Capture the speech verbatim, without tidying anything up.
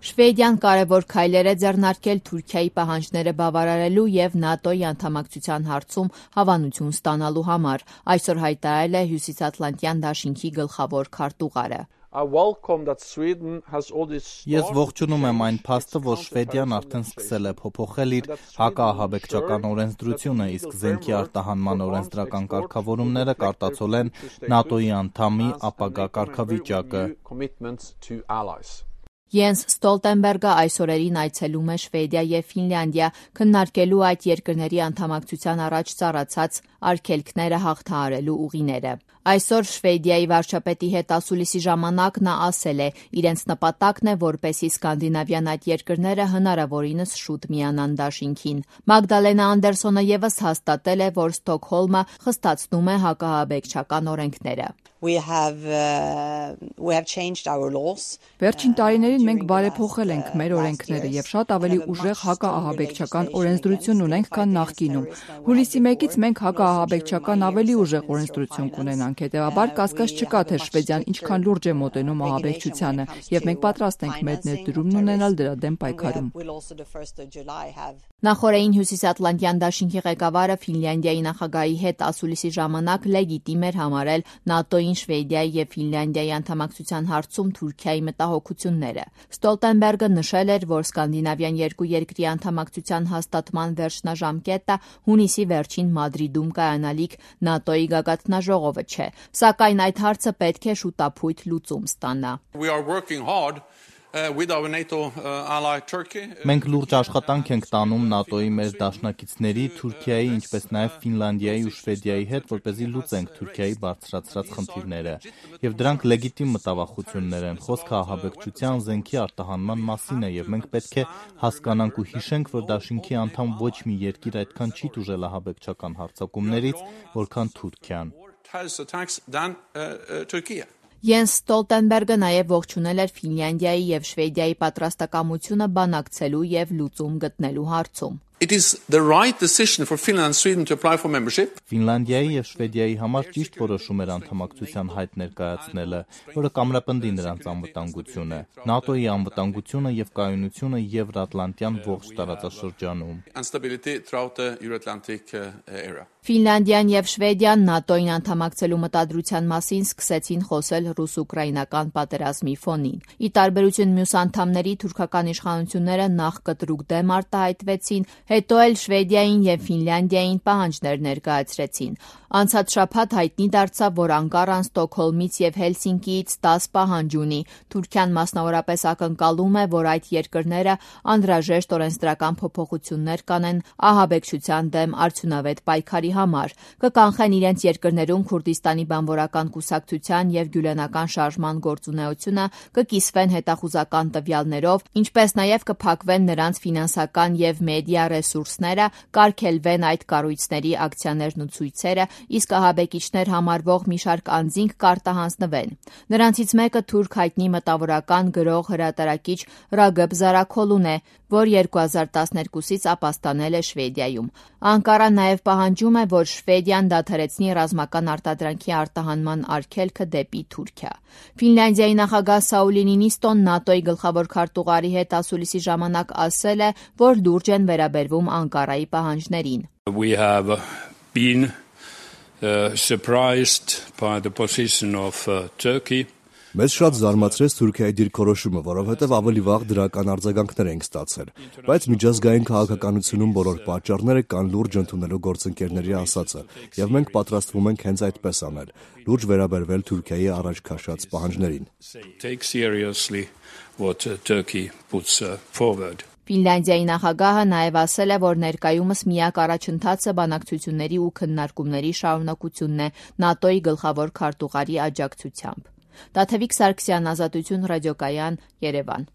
Շվեդիան կարևոր քայլեր է ձեռնարկել Թուրքիայի պահանջները բավարարելու և ՆԱՏՕ-ի անդամակցության հարցում հավանություն ստանալու համար, այսօր հայտարարել է Հյուսիսատլանտյան դաշինքի գլխավոր քարտուղարը։ Ես ողջունում եմ այն փաստը, որ Շվեդիան արդեն սկսել է փոփոխել իր հակաահաբեկչական օրենսդրությունը, իսկ զենքի արտահանման օրենսդրական կարգավորումները կարտացոլ են ՆԱՏՕ-ի անդամի ապագա կարգավիճակը։ Յենս Ստոլտենբերգը այս օրերին այցելում է Շվեդիա և Ֆինլանդիա քննարկելու այդ երկրների անդամակցության առաջ ծառացած արգելքները հաղթահարելու ուղիները։ Այսօր Շվեդիայի վարչապետի հետ ասուլիսի ժամանակ նա ասել է, իրենց նպատակն է, որպեսզի սկանդինավյան այդ երկրները հնարավորինս շուտ միանան դաշինքին։ Մագդալենա Անդերսոնը ևս հաստատել է, որ Ստոկհոլմը խստացնում է հակաահաբեկչական օրենքները։ Վերջին տարիներին մենք բարեփոխել ենք մեր օրենքները և շատ ավելի ուժեղ հակաահաբեկչական օրենսդրություն ունենք, քան նախկինում։ Հուլիսի մեկից մենք հակաահաբեկչական ավելի ուժեղ օրենսդրություն կունենանք, հետևաբար կասկած չկա, թե Շվեդիան ինչքան լուրջ է մոտենում ահաբեկչությանը, և մենք պատրաստ ենք մեր ներդրումն ունենալ դրա դեմ պայքարում։ Նախօրեին Հյուսիսատլանտյան դաշինքի ղեկավարը Ֆինլանդիայի նախագահի հետ ասուլիսի ժամանակ լեգիտիմ էր համարել ՆԱՏՕ-ին Շվեդիայի և Ֆինլանդիայի անդամակցության հարցում Թուրքիայի մտահոգությունները։ Ստոլտենբերգը նշել էր, որ սկանդինավյան երկու երկրի անդամակցության հաստատման վերջնաժամկետը հունիսի վերջին Մադրիդում կայանալիք ՆԱՏՕ-ի գագաթնաժողովը չէ, սակայն այդ հարցը պետք է շուտափույթ լուծում ստանա։ Մենք լուրջ աշխատանք ենք տանում ՆԱՏՕ-ի մեր դաշնակիցների, Թուրքիայի, ինչպես նաև Ֆինլանդիայի ու Շվեդիայի հետ, որպեսզի լուծենք Թուրքիայի բարձրացրած խնդիրները։ Եվ դրանք լեգիտիմ մտավախություններ են, խոսքը ահաբեկչության, զենքի արտահանման մասին է, և մենք պետք է հասկանանք ու հիշենք, որ դաշինքի անդամ ոչ մի երկիր այդքան չի տուժել ահաբեկչական հարձակումներից, որքան Թուրքիան։ Յենս Ստոլտենբերգը նաև ողջունել էր Ֆինլանդիայի և Շվեդիայի պատրաստակամությունը բանակցելու և լուծում գտնելու հարցում։ Ֆինլանդիայի և Շվեդիայի համար ճիշտ որոշում էր անդամակցության հայտ ներկայացնելը, որը կամրապնդի նրանց անվտանգությունը, ՆԱՏՕ-ի անվտանգությունը և կայունությունը Եվրատլանտյան ողջ տարածաշրջանում։ Ֆինլանդիան և Շվեդիան ՆԱՏՕ-ին անդամակցելու մտադրության մասին սկսեցին խոսել ռուս-ուկրաինական պատերազմի ֆոնին։ Ի տարբերություն մյուս անդամների, թուրքական իշխանությունները նախ կտրուկ դեմ արտահայտվեցին, հետո էլ Շվեդիային և Ֆինլանդիային պահանջներ ներկայացրեցին։ Անցած շաբաթ հայտնի դարձավ, որ Անկարան Ստոկհոլմից և Հելսինկիից դաս պահանջ ունի։ Թուրքիան մասնավորապես ակնկալում է, որ այդ երկրները անհրաժեշտ օրենսդրական փոփոխություններ կանեն ահաբեկչության դեմ արդյունավետ պայքարի համար, կկանխեն իրենց երկրներում Քուրդիստանի բանվորական կուսակցության և գյուլենական շարժման գործունեությունը, կկիսվեն հետախուզական տվյալներով, ինչպես նաև կփակվեն նրանց ֆինանսական և մեդիա ռեսուրսները, կարգելվեն այդ կառույցների ակցիաներն ու ցույցերը, իսկ ահաբեկիչներ համարվող մի շարք անձինք կարտահանձնվեն։ Նրանցից մեկը թուրք հայտնի մտավորական, գրող, հրատարակիչ Ռագըբ Զարաքոլուն է, որ երկու հազար տասներկուսից ապաստանել է Շվեդիայում։ Անկարան նաև պահանջում է, որ Շվեդիան դադարեցնի ռազմական արտադրանքի արտահանման արգելքը դեպի Թուրքիա։ Ֆինլանդիայի նախագահ Սաուլի Նինիստոն ՆԱՏՕ-ի գլխավոր քարտուղարի հետ ասուլիսի ժամանակ ասել է, որ լուրջ են վերաբերվում Անկարայի պահանջներին։ We have been uh, surprised by the position of uh, Turkey. Մեզ շատ զարմացրեց Թուրքիայի դիրքորոշումը, որովհետև ավելի վաղ դրական արձագանքներ ենք ստացել, բայց միջազգային քաղաքականությունում բոլոր պատճառները կան լուրջ ընդունելու գործընկերների ասածը, եւ մենք պատրաստվում ենք հենց այդպես անել, լուրջ վերաբերվել Թուրքիայի առաջ քաշած պահանջներին։ Take seriously what uh, Turkey puts uh, forward. Ֆինլանդիայի նախագահը նաև ասել է, որ ներկայումս միակ առաջընթացը բանակցությունների ու քննարկումների շարունակությունն է ՆԱՏՕ-ի գլխավոր քարտուղարի աջակցությամբ։ Տաթևիկ Սարգսյան, Ազատություն ռադիոկայան, Երևան։